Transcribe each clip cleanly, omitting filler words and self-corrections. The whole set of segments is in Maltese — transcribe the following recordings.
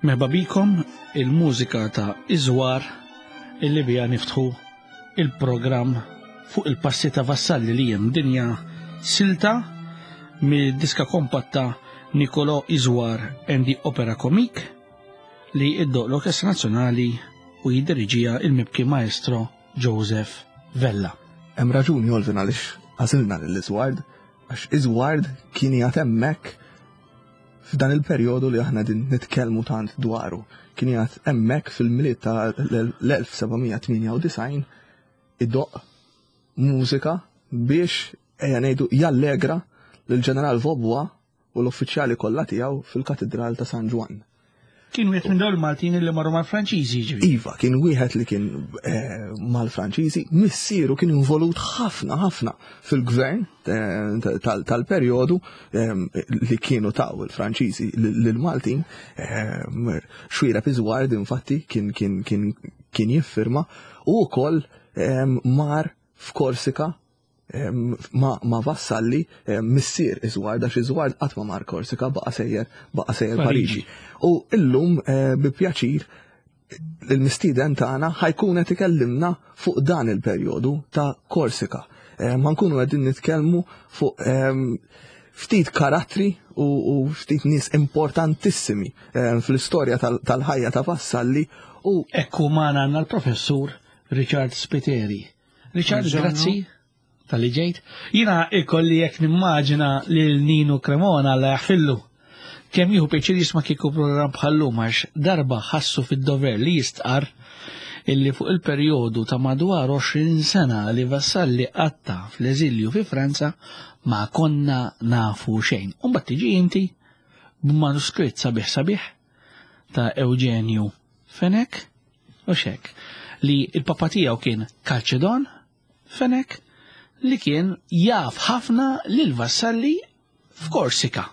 Merħba bikom il-mużika ta' Iżwar illi bija niftħu il-programm fuq il-passi ta' Vassalli li jem dinja silta mid-diska kompatta Nicolo Iżwar and the Opera Comique li iddoq l-Orkestra Nazzjonali u jiddiriġija il-mibki maestro Joseph Vella. Hemm raġuni Olvin għaliex għażilna lil Iżward għax Iżward kien qiegħed hemmhekk f'dan il-perjodu li aħna din nitkellmu tant dwaru. Kien qiegħed hemmhekk fil-milied ta' l-1798 idoqq mużika biex ejja ngħidu jallegra lill-Ġeneral Vaubois u l-uffiċjali kollha tiegħu fil-Katidral ta' San Ġwann. Kien wieħed minn dawn il-Maltin li marru mal-Franċiżi ġifieri. Iva, kien wieħed li kien eh, mal-Franċiżi, missieru kien involut ħafna ħafna fil-gvern eh, tal-perjodu eh, li kienu taw il-Franċiżi lill-Maltin. Xwira Pizward infatti kien kien kien kien jiffirma u wkoll mar f'Korsika ma' Vassalli missier Iżward għax Iżward qatt ma mar Korsika baqa' sejjer baqa' sejjer Pariġi. U illum eh, bi pjaċir il-mistieden tagħna ħajkun qed ikellimna fuq dan il-perjodu ta' Korsika. Eh, ma nkunu qegħdin nitkellmu fuq ehm, ftit karattri u ftit nies importantissimi eh, fl-istorja tal-ħajja ta' Vassalli u Ekku magħna għandna l-professur Richard Spiteri. Richard, grazzi tal-li ġejt. Jina ikolli jekk nimmaġina lil Nino Cremona la jaħfillu. Kemm jieħu pjaċir jisma' kieku programm bħallum għax darba ħassu fid-dover li jistqar illi fuq il-perjodu ta' madwar 20 sena li Vassalli qatta fl-eżilju fi Franza ma konna nafu xejn. U mbagħad tiġi inti b'manuskritt sabiħ sabiħ ta' Eugenju Fenech u xek li il-papa tiegħu kien Calcedon Fenech li kien jaf ħafna lil Vassalli f'Korsika.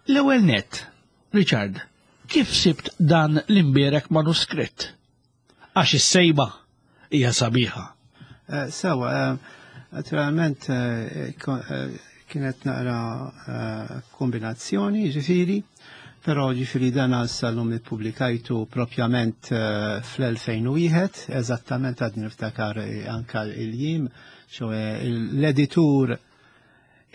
L-ewwel net, Richard, kif sibt dan l-imbierek manuskritt? Għax is-sejba hija sabiħa. Eh, sewa, eh, naturalment eh, kienet naqra kombinazzjoni, ġifiri, però ġifiri dan sal-lum ippubblikajtu propjament fl-2001, eżattament għadni niftakar anka il-jiem, ċoħe l-editur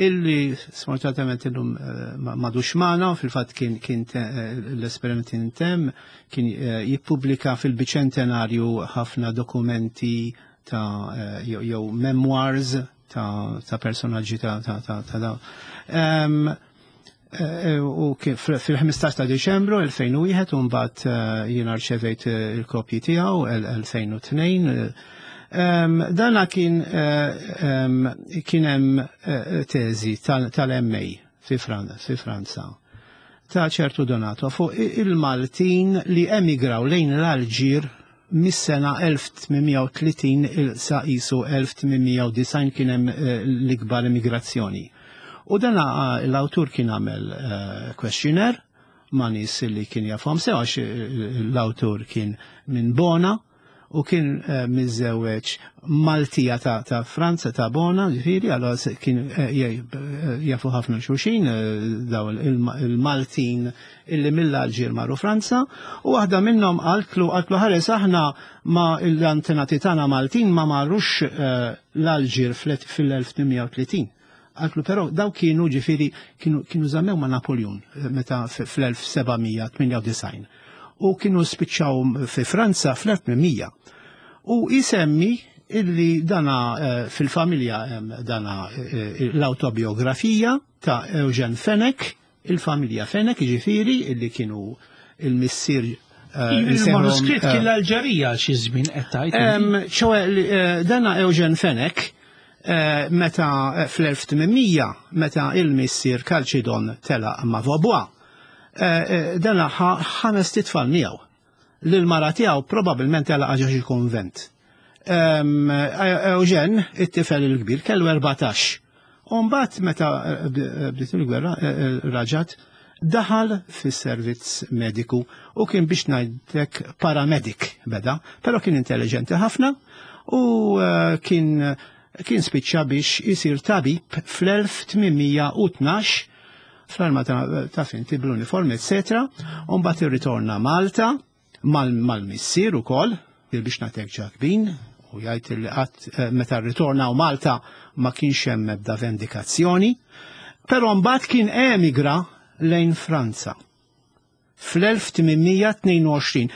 illi sfortunatament illum eh, madux magħna, fil-fatt kien kien eh, l-esperiment intemm, kien eh, jippubblika fil-biċentenarju ħafna dokumenti ta' jew memoirs ta' ta' personaġġi ta' ta' ta' ta' dawn. U fil-15 ta' Diċembru 2001 u mbagħad jiena rċevejt il-kopji tiegħu 2002. Dana kien kien hemm teżi tal-MA fi Franza ta' ċertu Donato fuq il-Maltin li emigraw lejn l-Alġir mis-sena 1830 sa qisu 1890 kien hemm eh, l-ikbar immigrazzjoni. U dan eh, l-awtur kien għamel eh, questionnaire ma' nies li kien jafhom sew għax l-awtur kien minn Bona u kien eh, miżżewweġ Maltija ta', ta Franza ta' Bona, ġifieri, allora kien eh, eh, jafu ħafna xulxin daw il-Maltin illi mill-Alġir marru Franza, u waħda minnhom qaltlu qaltlu ħares aħna ma l-antenati tagħna Maltin ma marrux l-Alġir fil-1830. Qaltlu però daw kienu ġifieri kienu kienu żammew ma' Napoleon eh, meta fl-1798 u kienu spiċċaw fi Franza fl-1800. U jisemmi illi dana eh, fil-familja dana eh, l-autobiografija ta' Eugen Fenech Il-familja Fenech, jiġifieri, illi kienu il-missier eh, Il-manuskritt kien l-Alġerija xi żmien qed tgħid. ċoe eh, dana Eugen Fenech eh, meta fl-1800 meta il-missier Calcidon telaq ma' Vaubois, dana ħames titfal miegħu. Lil mara tiegħu probabbilment telaq ġo xi kunvent. Eugen, it-tifel il-kbir, kellu 14. U mbagħad meta eh, eh, bdiet il-gwerra eh, raġat daħal fis-servizz mediku u kien biex ngħidlek paramedic beda, però kien intelligenti ħafna u kien kien spiċċa biex isir tabib fl-1812. Fl-armata ta' finti bl-uniform, eccetera, u mbagħad irritorna Malta mal-missier ukoll, biex nagħtek ġakbin, u jgħid li qatt eh, meta rritorna u Malta ma kienx hemm ebda vendikazzjoni, però mbagħad kien emigra lejn Franza. Fl-1822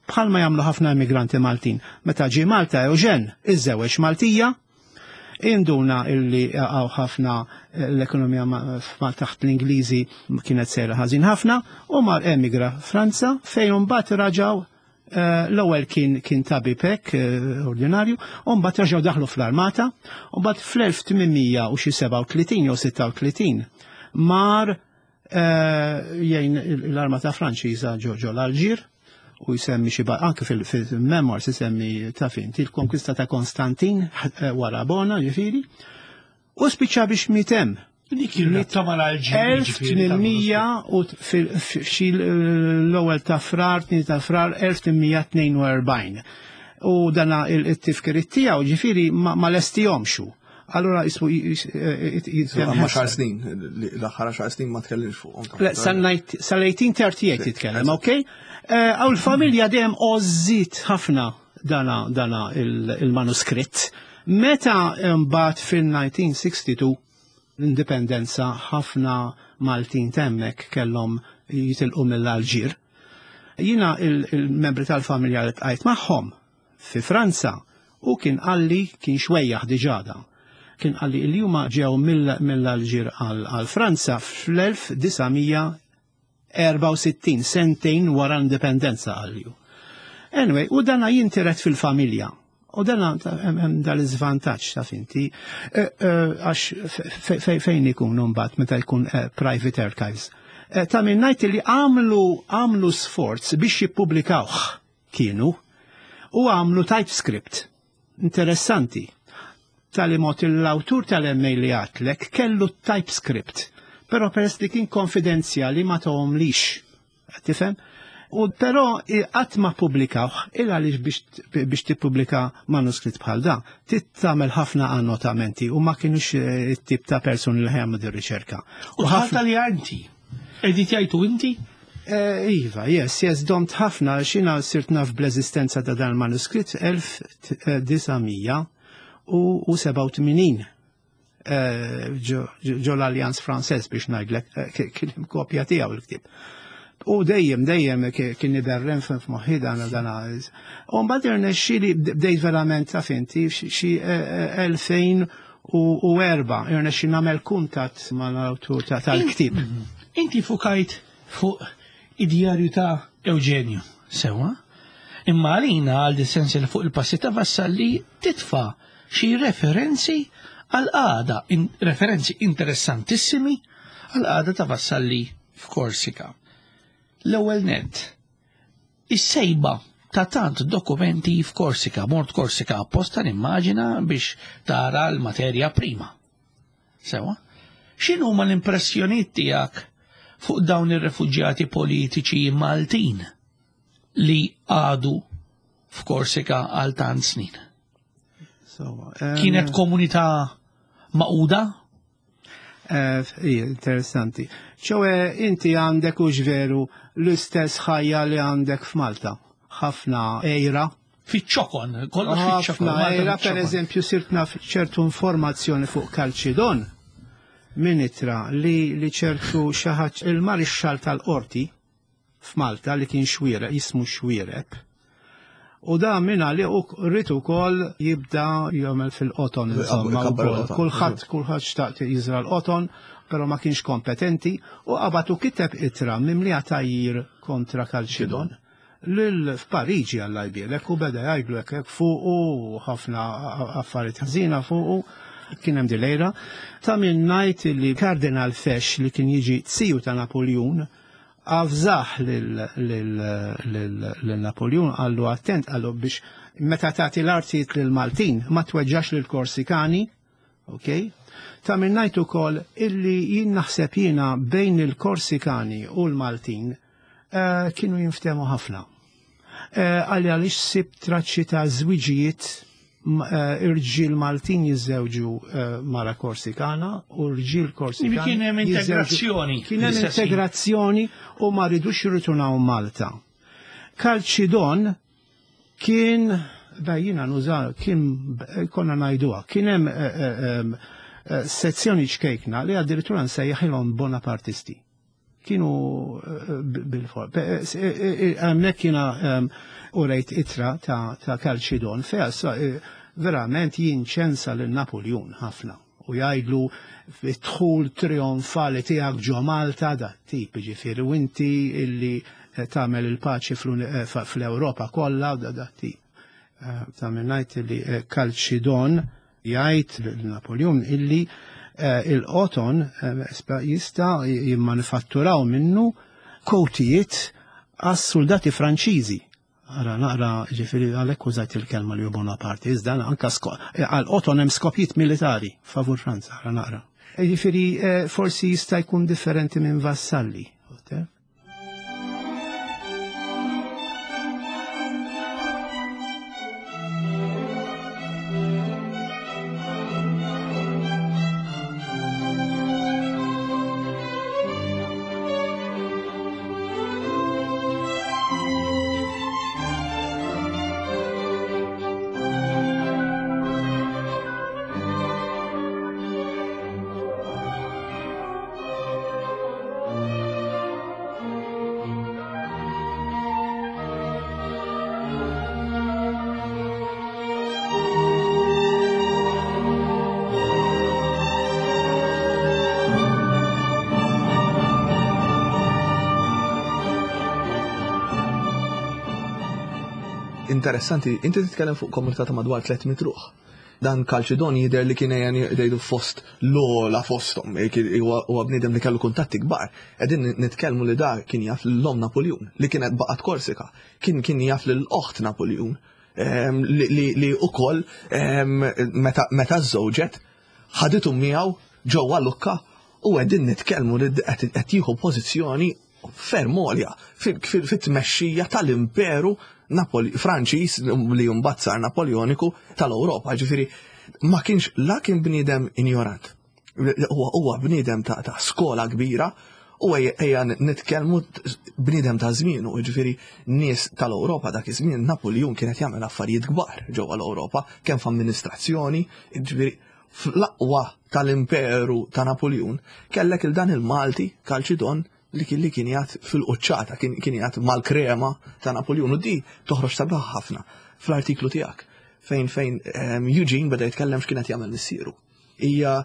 bħalma jagħmlu ħafna immigranti Maltin. Meta ġie Malta Eugen iżżewweġ Maltija, induna illi għaw ħafna eh, l-ekonomija taħt l-Ingliżi kienet sejra ħażin ħafna u mar emigra Franza fejn mbagħad raġaw eh, l-ewwel kien kien tabib hekk eh, ordinarju, u mbagħad raġgħu daħlu fl-armata, u mbagħad fl-1837 jew 36 mar jgħin l-armata Franċiża ġo l-Alġir u jsemmi xi anke fil-memoirs isemmi ta' fin il-konkista ta' Konstantin eh, wara Bona ġifieri u spiċċa biex mitem. Dik il-rabta mal-Alġir. 1800 u f'xi l-ewwel ta' frar, tnien ta' frar 1842. U dana il-tifkiriet tiegħu ġifieri ma lestihomx hu. Allora jismu jitkellem. Ma xar snin, l-aħħar xar snin ma tkellimx fuqhom. Le, sal-1838 jitkellem, ok? Eh, għaw l-familja dejjem ożżit ħafna dana dana il-manuskritt. Meta mbagħad fil-1962 l-indipendenza ħafna Maltin temmek kellhom jitilqu mill-Alġir. Jina il-membri tal-familja li tqajt magħhom fi Franza u kien qalli kien xwejjaħ diġà dan. Kien qalli li huma ġew mill-Alġir għal Franza fl-1964, sentejn wara l-indipendenza qalli hu. Anyway, u dana jintiret fil-familja. U dana hemm dal-iżvantaġġ ta' finti, eh, eh, għax fejn ikun mbagħad meta jkun eh, private archives. Ta' minn ngħid li għamlu għamlu sforz biex jippubblikawh kienu u għamlu typescript. Interessanti. Tali mod l-awtur tal-MA li għatlek kellu typescript, però peress li kien konfidenzjali ma tohomlix. Tifhem? U però qatt ma pubblikawh il għaliex biex tippubblika manuskritt bħal da, tagħmel ħafna annotamenti u ma kienux eh, it-tip ta' persuni li ħajamlu din riċerka. U ħafna li inti. Editjajtu inti? Eh, iva, yes, yes, domt ħafna, xina sirt naf bl-eżistenza ta' dan il-manuskritt 1987 eh, ġo l-Allianz Frances biex ngħidlek eh, kien hemm kopja tiegħu l-ktieb. U dejjem, dejjem kien iberren f'moħħi dan dan. U mbagħad irnexxieli bdejt verament ta' finti xi 2004 irnexxi nagħmel kuntatt mal-awtur tal-ktieb. Inti fukajt fuq id-djarju ta' Eugenju, sewa? Imma għalina għal dis-sens fuq il-passi ta' Vassalli titfa' xi referenzi għal qagħda, referenzi interessantissimi għal qagħda ta' Vassalli f'Korsika. L-ewwel nett, is-sejba ta' tant dokumenti f'Korsika, mort Korsika apposta nimmaġina biex tara l-materja prima. Sewa? X'inhuma l-impressjonijiet tiegħek fuq dawn ir-refuġjati politiċi Maltin li għadu f'Korsika għal tant snin? Kienet komunità maquda? Eh, interessanti. ċowe inti għandek u veru l-istess ħajja li għandek f'Malta. Ħafna ejra, Fiċ-ċokon, kollox fiċ-ċokon. Ħafna, per eżempju, sirt naf ċertu informazzjoni fuq Kalċidon minn itra li, li ċertu xaħat il-marixxal tal-qorti f'Malta li kien xwiereb, jismu xwiereb. U da minna li u rrit ukoll jibda jagħmel fil-qoton insomma. Kulħadd kulħadd xtaqt jiżra l-qoton, però ma kienx kompetenti u qabad u kiteb itra mimlija tajjir kontra Kalċidon. Lil f'Pariġi Alla jbierek u beda jgħidlu hekk hekk fuqu u ħafna affarijiet ħżiena fuqu kien hemm dilejra. Ta' min ngħid li Kardinal Fesch li kien jiġi ziju ta' Napoljun avżah lil Napoljun qallu attent qallu biex meta tagħti l-artijiet lil Maltin ma tweġġax lil Korsikani Ok? Ta' min ngħid ukoll illi jien naħseb jiena bejn il-Korsikani u l-Maltin eh, kienu jinftehmu ħafna. Eh, għalli għaliex sib traċċi ta' żwiġijiet. eh, irġiel Maltin jiżżewġu eh, mara Korsikana u rġiel Korsikana. Kien hemm integrazzjoni. Kien hemm integrazzjoni u ma ridux jirriturnaw Malta. Kalċidon kien bejjina nuża kien konna ngħiduha, kien hemm eh, sezzjoni ċkejkna li addirittura nsejjaħilhom Bonapartisti. Kienu bil-for. Hemmhekk jiena urejt itra ta' Kalċidon fejn verament jinċensa lil Napoljun ħafna u jgħidlu dħul trionfali tiegħek ġo Malta da tip ġifieri u inti illi tagħmel il-paċi fl-Ewropa kollha da da tip. Ta' minn ngħid li Kalċidon jgħid lil Napoljun illi eh, il-qoton eh, jista' jimmanifatturaw minnu kowtijiet għas-soldati Franċiżi. Ara naqra ġifieri għalhekk użajt il-kelma li Bonaparte, iżda anka eh, għal-qoton hemm skopijiet militari favur Franza, ara naqra. Ġifieri forsi jista' jkun differenti minn Vassalli. Interessanti, inti titkellem fuq komunità ta' madwar 300 ruħ. Dan Kalċidon jidher li kien ejja jgħidu fost l-ogħla fosthom, huwa bniedem li kellu kuntatti kbar. Qegħdin nitkellmu li da kien jaf l-om Napoljun, li kienet baqgħet Korsika, kien kien jaf lil oħt Napoljun, ehm, li ukoll ehm, meta żżewġet ħaditu miegħu ġewwa Lukka u qegħdin nitkellmu li qed jieħu pożizzjoni ferm għolja fit-tmexxija tal-Imperu Franċiż li mbagħad sar Napoleoniku tal-Ewropa. Ġifieri ma kienx la kien bniedem injorant. Huwa bniedem ta' skola kbira u ejja nitkellmu bniedem ta' żmienu, ġifieri nies tal-Ewropa dak iż-żmien Napoleon kien qed jagħmel affarijiet kbar ġewwa l-Ewropa, kemm f'amministrazzjoni, ġifieri fl-aqwa tal-imperu ta' Napoleon, kellek il dan il-Malti, Kalċidon, li kien li kien jgħat fil-quċċata, kien kien jgħat mal-krema ta' Napoleon u di toħroġ sabiħ ħafna fl-artiklu tiegħek fejn fejn ehm, Eugene beda jitkellem x'kien qed jagħmel missieru. Hija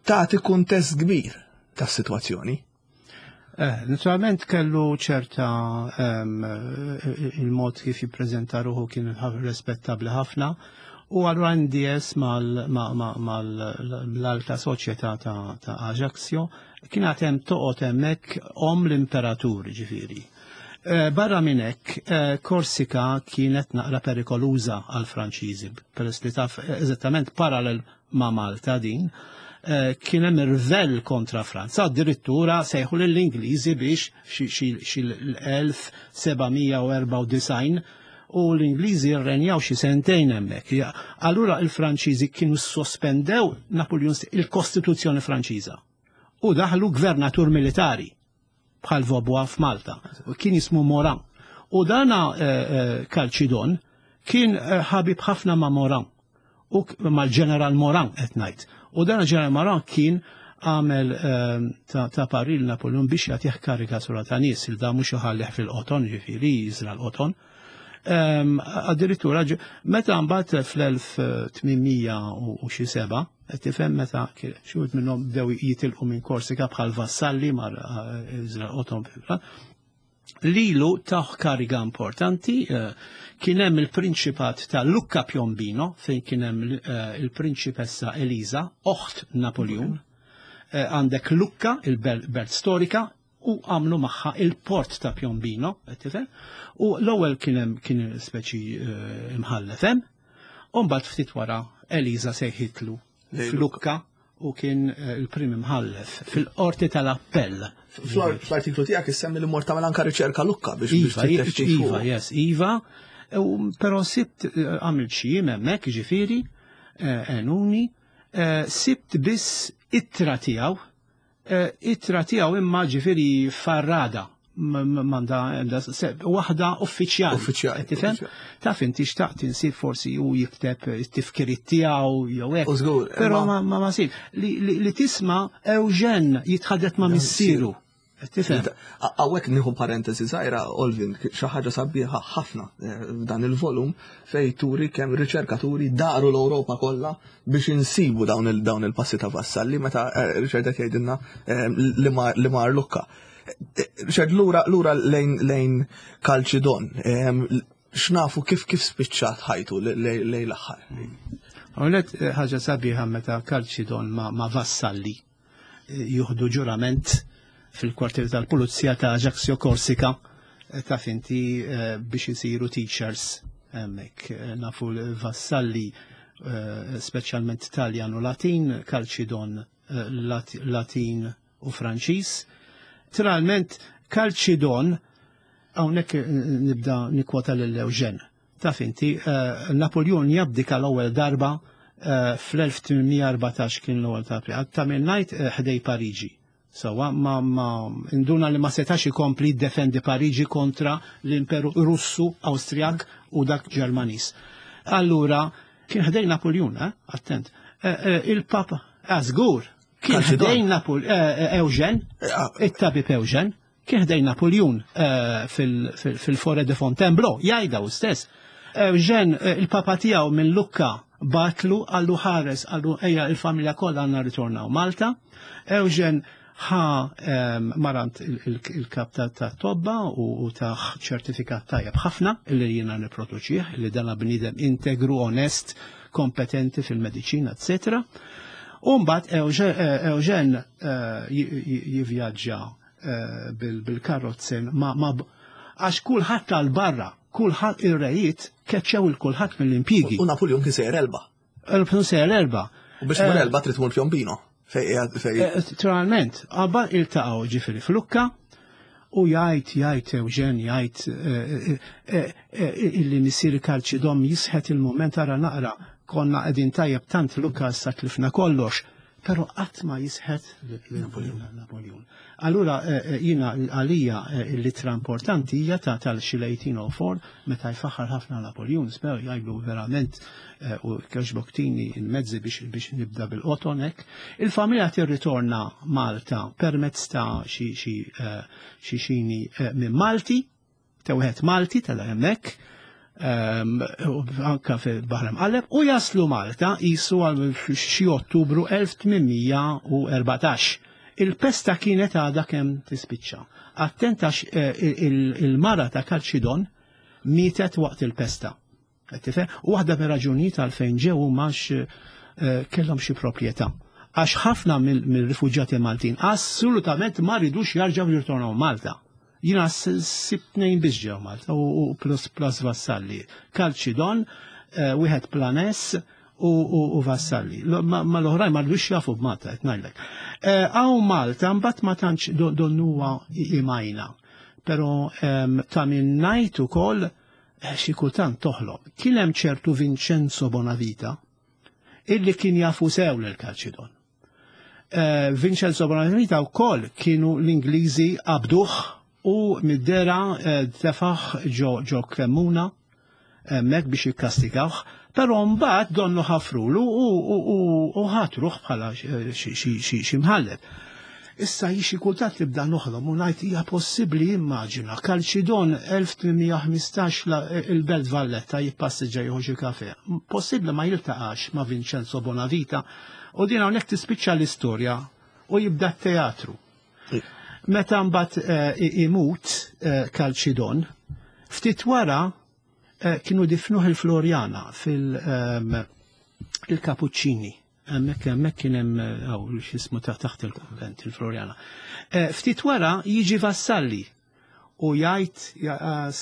tagħti kuntest kbir tas-sitwazzjoni. Eh, naturalment kellu ċerta ehm, il-mod kif jippreżenta ruħu kien rispettabli ħafna u allura NDS mal-alta soċjetà ta' Ajaccio kien għad hemm toqgħod hemmhekk om l-imperatur ġifieri. Eh, barra minn hekk, eh, Korsika kienet naqra perikoluża għal Franċiżi, peress li taf eżattament parallel ma' Malta din, eh, kien hemm irvell kontra Franza, addirittura sejħu lill-Ingliżi biex xi l-1794 u l-Ingliżi rrenjaw xi sentejn hemmhekk. Allura il-Franċiżi kienu sospendew Napoleon il-Kostituzzjoni Franċiża u daħlu gvernatur militari bħal Vaubois f'Malta, kien jismu Moran. U dana eh, eh, Kalċidon kien eh, ħabib ħafna ma' Moran u mal-ġeneral Moran qed ngħid. U dana ġeneral Moran kien għamel ta' paril Napoleon biex jagħtih karikatura ta' nies il da mhux iħallih fil-qoton, ġifieri jiżra l-qoton. Addirittura meta mbagħad fl-1800 u xi seba' qed tifhem meta xi wħud minnhom bdew jitilqu minn Korsika bħal vassalli mar eh, Otom Lilu taħ kariga importanti eh, kien hemm il-prinċipat ta' Lucca Piombino fejn kien hemm eh, il-prinċipessa Eliza, oħt Napoleon. Għandek Lucca, il-belt storika, u għamlu magħha il-port ta' Piombino, qed tifhem? U l-ewwel kien hemm kien speċi eh, imħallef hemm, u mbagħad ftit wara Eliza sejħitlu f'Lukka u kien eh, il-prim imħallef fil-qorti tal-appell. Fl-artiklu tiegħek issemmi li mort tagħmel anka riċerka Lukka biex Iva, Iva, yes, Iva. Però sibt għamilt xi jiem hemmhekk, ġifieri, għenuni, sibt biss ittra tiegħu, ittra tiegħu imma ġifieri farrada manda waħda uffiċjali. Uffiċjali. Tifhem? Taf inti xtaqt insib forsi u jikteb it-tifkiriet tiegħu jew hekk. Żgur. Però ma ma sib li tisma' Eugen jitħaddet ma' missieru. Tifhem? Hawnhekk nieħu parentesi żgħira, Olvin, xi ħaġa sabiħa ħafna f'dan il-volum fej turi kemm riċerkaturi daru l-Ewropa kollha biex insibu dawn il-passi ta' Vassalli meta Richard qed jgħidilna li mar Lucca. Richard, lura lejn Kalċidon, x'nafu kif spiċċat ħajtu lejn l-aħħar? Għonet ħaġa sabiħa meta Kalċidon ma' Vassalli juhdu ġurament fil-kwartier tal-Pulizija ta' Ajaccio Korsika ta' finti biex isiru teachers hemmhekk. Nafu l-Vassalli speċjalment Taljan u Latin, Kalċidon Latin u Franċiż. Naturalment Kalċidon hawnhekk nibda nikkwota lil Eugen. Taf inti, Napoleon jabdika l-ewwel darba fl-1814 kien l-ewwel ta' April. Ta' minn ngħid ħdej Pariġi. Sawa, ma induna li ma setax ikompli jiddefendi Pariġi kontra l-Imperu Russu, Awstrijak u dak Ġermaniż. Allura, kien ħdej Napoleon, attent. Il-Papa, żgur, kien ħdej Eugen, it-tabib Eugen, kien ħdej Napoleon fil-Forêt de Fontainebleau, jgħidha hu stess. Eugen, il-papa tiegħu minn Lucca batlu għallu ħares, għallu ejja il-familja kollha għandna ritornaw Malta. Eugen ħa marant il-kap ta' tobba u taħ ċertifikat tajjeb ħafna illi jiena nipproduċih, illi dana bniedem integru, onest, kompetenti fil-mediċina, eccetera. U mbagħad Eugen jivvjaġġa bil-karrozzin ma għax kulħadd tal-barra, kulħadd ir-rejiet keċċew il kulħadd mill-impjiegi. U Napoleon kien sejjer Elba. Napoleon sejjer Elba. U biex tmur Elba trid tmur Piombino. Naturalment, qabba iltaqgħu ġifieri f'Lukka u jgħid jgħid Eugen jgħid illi missieri Kalċidon jisħet il-moment ara naqra konna qegħdin tajjeb tant Lukka issa tlifna kollox, però qatt ma jisħet Napoleon. Allura jiena għalija l-ittra importanti hija ta' tal-xi 1804 meta jfaħħar ħafna Napoleon, spew jgħidlu verament u kħeġboktini il-mezzi biex nibda bil-qoton hekk. Il-familja tirritorna Malta permezz ta' xi xini minn Malti, ta' wieħed Malti tal hemmhekk, anka fil-Baħar Imqalleb, u jaslu Malta jisu għal xi Ottubru 1814. Il-pesta kienet għadha kemm tispiċċa. Attent għax il-mara ta' Kalċidon mietet waqt il-pesta. Tifhem? U waħda mir-raġunijiet għalfejn ġew huma għax kellhom xi proprjetà. Għax ħafna mill-rifuġjati Maltin assolutament ma ridux jarġgħu jirtornaw Malta. Jiena sib tnejn biss ġew Malta u plus plus Vassalli. Kalċidon, wieħed Planes u Vassalli. Ma l-oħrajn ma rridux jafu b'Malta, qed ngħidlek. Hawn Malta mbagħad ma tantx donnuha imajna. Però ta' min ngħid ukoll xi kultant toħlom. Kien hemm ċertu Vincenzo Bonavita illi kien jafu sew lil Kalċidon. Vincenzo Bonavita wkoll kienu l-Ingliżi qabduh u mid-dera tefaħ ġo Kremuna hemmhekk biex jikkastigawh, però mbagħad donnu ħafrulu u ħatruh bħala xi mħallef. Issa xi kultant nibda noħlom u ngħid hija possibbli immaġina Kalċidon 1815 il-Belt Valletta jippassiġġa jieħu xi kafe. Possibbli ma jiltaqax ma' Vincenzo Bonavita u din hawnhekk tispiċċa l-istorja u jibda t-teatru. Meta mbagħad imut Kalċidon, ftit wara kienu difnuh il-Floriana fil-Kapuċċini. Hemmhekk kien hemm hawn x'ismu taħt il-konvent il-Floriana. Ftit wara jiġi Vassalli u jgħid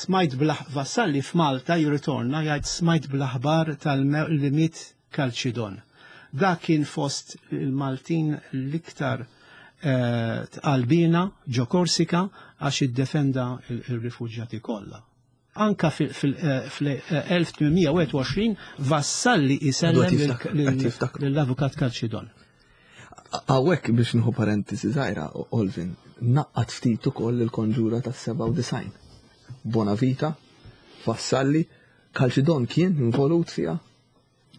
smajt Vassalli f'Malta jirritorna jgħid smajt bl-aħbar tal-li miet Kalċidon. Dak kien fost il-Maltin l-iktar tqalbina ġo Korsika għax iddefenda il-rifuġjati kollha. Anka fil-1821 Vassalli isellem lill-avukat Calcidon. Hawnhekk biex nieħu parentesi żgħira, Olvin, naqqat ftit ukoll il-konġura tas-97. Bonavita, Vassalli, Calcidon kien involut fiha?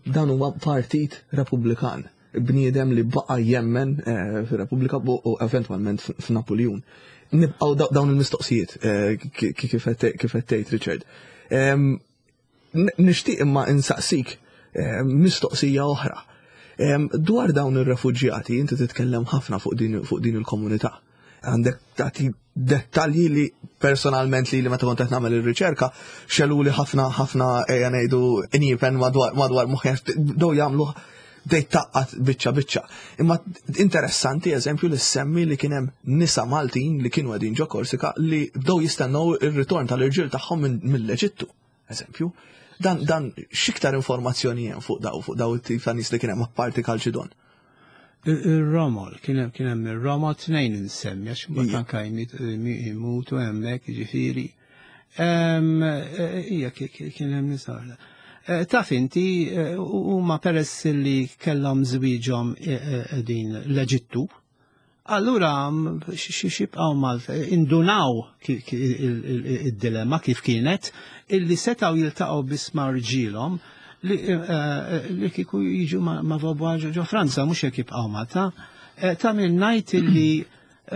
Dan huwa partit Repubblikan, bniedem li baqa' jemmen eh, fir-Repubblika u eventwalment f'Napuljun. Nibqgħu dawn il-mistoqsijiet eh, kif qed tgħid Richard. Nixtieq imma insaqsik eh, mistoqsija oħra. Dwar dawn ir-refuġjati, inti titkellem ħafna fuq din il-komunità. Għandek tagħti dettalji li personalment li li meta kont qed nagħmel ir-riċerka xeluli ħafna ħafna ejja ngħidu injipen madwar madwar moħħi bdew jagħmlu bdejt taqqat biċċa biċċa. Imma interessanti eżempju li semmi li kien hemm nisa Maltin li kienu qegħdin ġo Korsika li bdew jistennew ir-ritorn tal-irġiel tagħhom mill-Eġittu. Eżempju, dan dan x'iktar informazzjoni hemm fuq daw fuq daw it-tip ta' nies li kien hemm apparti Kalċidon. Ir-romol, kien hemm kien hemm ir-romol tnejn insemmi għax mbagħad anke jmutu hemmhekk jiġifieri. Ija kien hemm nisa. Eh, taf inti eh, huma peress li kellhom żwieġhom eh, din l-Eġittu, Allura xibqgħu Malta, indunaw id-dilemma kif kienet, illi setgħu jiltaqgħu biss ma' rġielhom li eh, li kieku jiġu ma' Vaubois ġo Franza, mhux jekk jibqgħu Malta. Eh, ta' min ngħid illi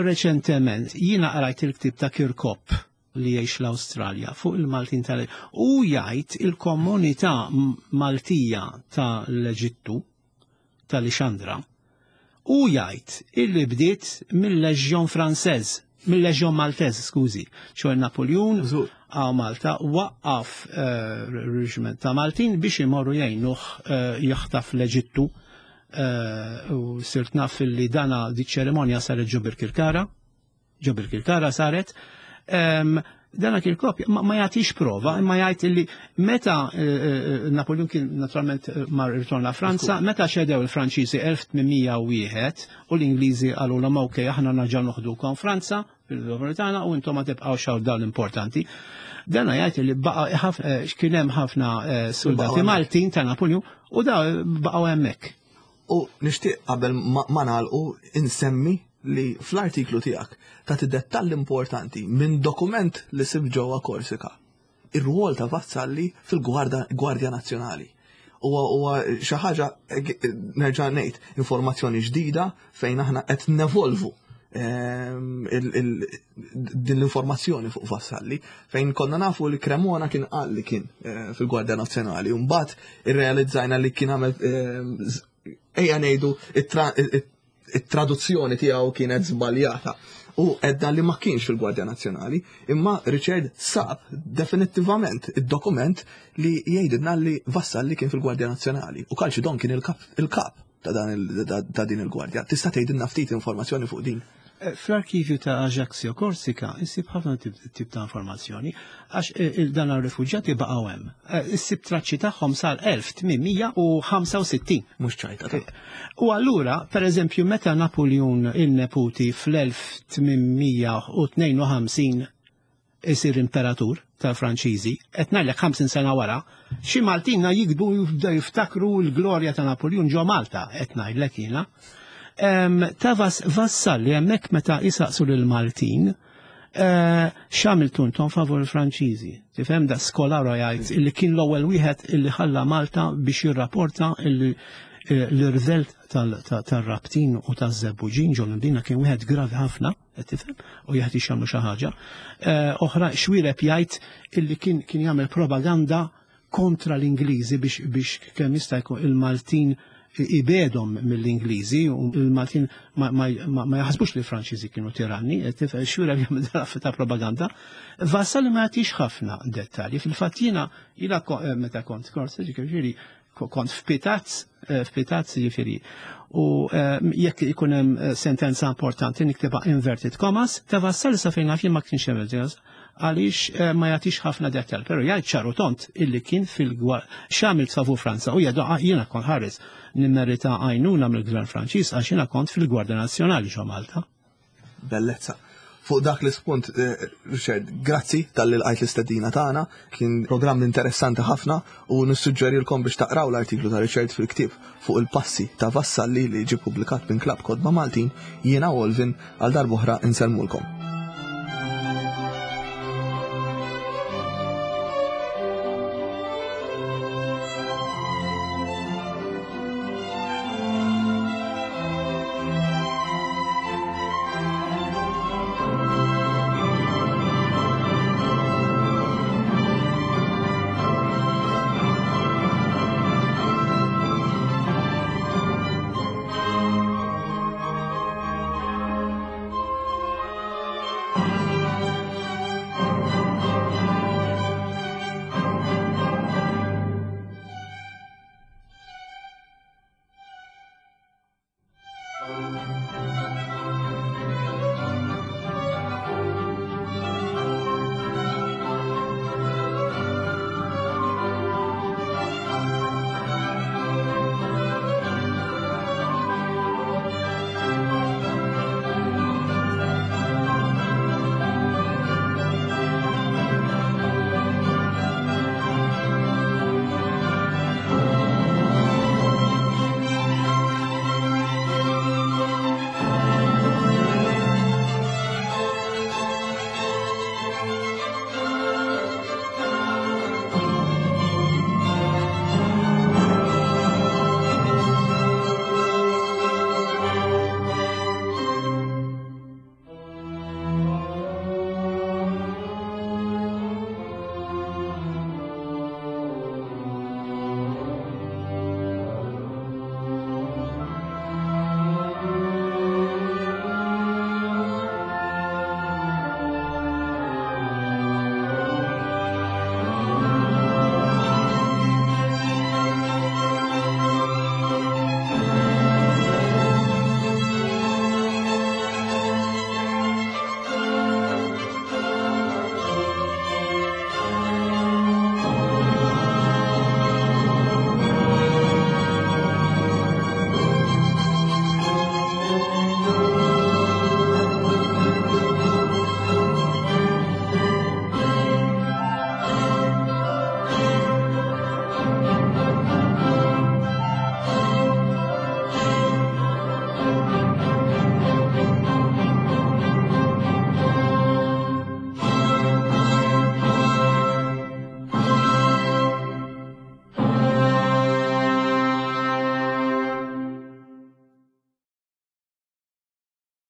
reċentement jiena qrajt il-ktieb ta' Kirkop li jgħix l-Awstralja fuq il-Maltin tal u jgħid il-komunità Maltija ta' l-Eġittu ta' Lixandra. Hu jgħid illi bdiet mill-Leġjon Franseż, mill-Leġjon Malteż, skużi, ċoħe Napoljun għaw Malta waqqaf eh, reġiment ta' Maltin biex imorru jgħinuh eh, jaħtaf l-Eġittu eh, u sirt naf li dana di ċerimonja saret ġo Birkirkara, ġo Birkirkara saret, dana kien kopja, ma jagħtix prova, imma jgħid illi meta eh, eh, Napoleon kien naturalment eh, mar ritorna Franza, meta xedew il-Franċiżi 1801 u l-Ingliżi qalu l ok aħna naġa noħdukom Franza fil-govern tagħna u intom ma tibqgħux hawn dawn l-importanti. Dana jgħid li baqa' kien hemm ħafna soldati Maltin ta' Napoleon u da baqgħu hemmhekk. U nixtieq qabel ma nagħlqu insemmi li fl-artiklu tiegħek tagħti dettall importanti minn dokument li sib ġewwa Korsika. Ir-rwol ta' Vassalli fil-Gwardja Nazzjonali. Huwa huwa xi ħaġa nerġa' ngħid informazzjoni ġdida fejn aħna qed nevolvu ehm, din l-informazzjoni fuq Vassalli fejn konna nafu li Cremona kien qal li kien eh, fil-Gwardja Nazzjonali u mbagħad irrealizzajna li kien għamel eh, ejja ngħidu it-traduzzjoni tiegħu kienet żbaljata u edda li ma kienx fil-Gwardja Nazzjonali, imma Richard sab definittivament id-dokument li jgħidilna li Vassalli kien fil-Gwardja Nazzjonali u Kalċidon kien il-kap ta' din il-gwardja. Tista' tgħidilna ftit informazzjoni fuq din? Eh, fl-arkivju ta' Ajaccio Korsika issib ħafna tip ta' informazzjoni għax eh, dan ar-refuġjati baqgħu hemm. Eh, issib traċċi tagħhom sal 1865. Mhux ċajta. U allura, per eżempju, meta Napoleon il-neputi fl-1852 isir imperatur tal-Franċiżi, qed ngħidlek 50 sena wara, xi Maltina jikbu jibdew jiftakru l-glorja ta' Napoleon ġo Malta, qed ngħidlek jiena. Ta' Vassalli hemmhekk meta jisaqsu lil Maltin, eh, x'għamiltu intom favur il-Franċiżi. Tifhem da skolaro jgħid illi kien l-ewwel wieħed illi ħalla Malta biex jirrapporta illi eh, l-irvel tal-rabtin u taż-żebbuġin ġol Mdina kien wieħed gravi ħafna qed tifhem, u jeħtieġ jagħmlu xi ħaġa. Eh, oħra xwireb jgħid illi kien kien jagħmel propaganda kontra l-Ingliżi biex biex kemm jista' jkun il-Maltin ibedhom mill-Ingliżi u il-Maltin ma, ma, ma, ma jaħsbux li l-Franċiżi kienu tiranni, qed xwireb jagħmel ta' propaganda. Vassal ma jagħtix ħafna dettalji. Fil-fatt jiena jiena eh, meta kont kors, ġifieri kont f'Pitaz, eh, f'Pitaz jiġifieri. U eh, jekk ikun hemm eh, sentenza importanti niktibha inverted commas, ta' Vassal sa fejn naf jien ma kienx hemm għaliex ma jagħtix ħafna dettal, però jgħid ċaru tont illi kien fil-gwar x'għamilt favur Franza u jgħidu ah, jiena kont ħares nimmerita għajnuna mill-Gvern Franċiż għax jiena kont fil-Gwardja Nazzjonali ġo Malta. Bellezza. Fuq dak l-ispunt, eh, Richard, grazzi tal-li lqajt l-istedina tagħna, kien programm interessanti ħafna u nissuġġerilkom biex taqraw l-artiklu ta' Richard fil-ktieb fuq il-passi ta' Vassalli li ġie publikat minn Klabb Kotba Maltin, jiena Olvin għal darb'oħra insellmulkom.